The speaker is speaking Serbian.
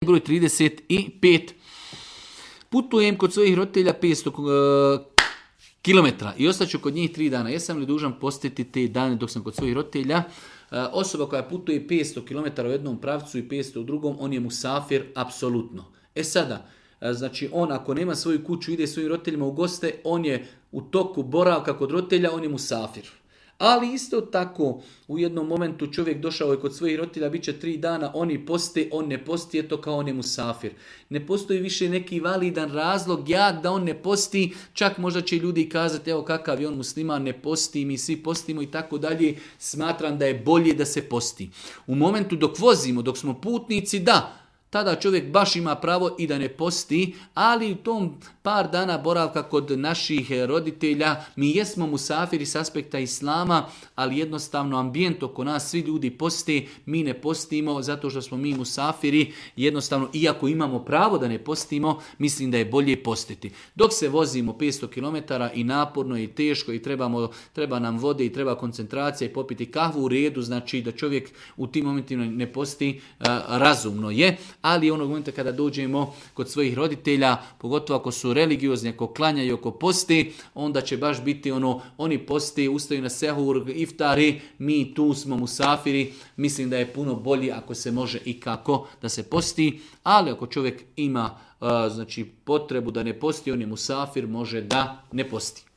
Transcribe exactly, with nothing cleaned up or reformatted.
broj trideset pet. Putujem kod svojih roditelja petsto kilometara i ostaću kod njih tri dana. Jesam li dužan postiti te dane dok sam kod svojih roditelja? Osoba koja putuje petsto kilometara u jednom pravcu i petsto u drugom, on je musafir apsolutno. E sada, znači on ako nema svoju kuću, ide svojim roditeljima u goste, on je u toku boravka kod roditelja, on je musafir. Ali isto tako, u jednom momentu čovjek došao je kod svojih roditelja, bit će tri dana, oni poste, on ne posti, je to kao on je musafir. Ne postoji više neki validan razlog, jak da on ne posti, čak možda će ljudi kazati, evo kakav je on musliman, ne posti, mi svi postimo i tako dalje. Smatram da je bolje da se posti. U momentu dok vozimo, dok smo putnici, da, tada čovjek baš ima pravo i da ne posti, ali u tom par dana boravka kod naših roditelja mi jesmo musafiri s aspekta islama, ali jednostavno ambijent oko nas, svi ljudi poste, mi ne postimo zato što smo mi musafiri, jednostavno iako imamo pravo da ne postimo, mislim da je bolje postiti. Dok se vozimo petsto kilometara i naporno i teško i trebamo, treba nam vode i treba koncentracija i popiti kahvu u redu, znači da čovjek u tim momentima ne posti, razumno je. Ali onog momenta kada dođemo kod svojih roditelja, pogotovo ako su religiozni, ako klanjaju, ako posti, onda će baš biti ono, oni posti, ustaju na sehur, iftari, mi tu smo musafiri. Mislim da je puno bolje ako se može i kako da se posti, ali ako čovjek ima uh, znači potrebu da ne posti, on je musafir, može da ne posti.